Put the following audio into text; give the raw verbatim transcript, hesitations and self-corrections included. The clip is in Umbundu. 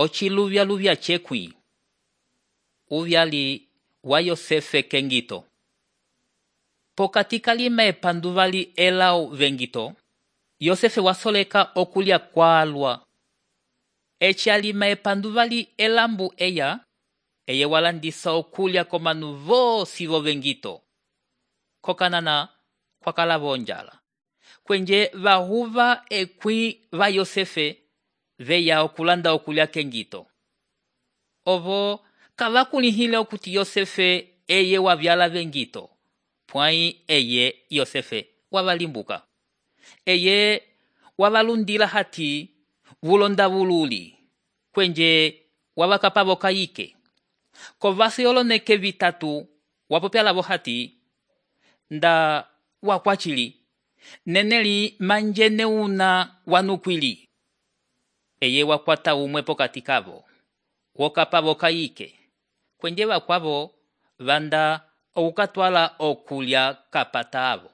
ociluvya-luvya cekwi uvyali wa Yosefe kengito. Pokati kalima epanduvali elau vengito, Yosefe wasoleka okulya kwalwa. Eci alima epanduvali elambu eya, eye walandisa okulya komanu vosi vo vengito. Kokanana kwakala vonjala. Kwenje vahuva ekwi va Yosefe veya okulanda okulya kengito. Ovo kavakulihile okuti Yosefe eye wavyala vengito. Pwai eye Yosefe wavalimbuka. Eye wavalundila hati vulonda vululi. Kwenje wavakapavo kayike. Kovasi oloneke vitatu wapopyala vo hati nda wakwachili. Neneli manjene una wanukwili. Eye wakwata umwe pokati kavo. Wokapavo kayike. Kwenje wakwavo vanda okukatwala okulya kapatavo.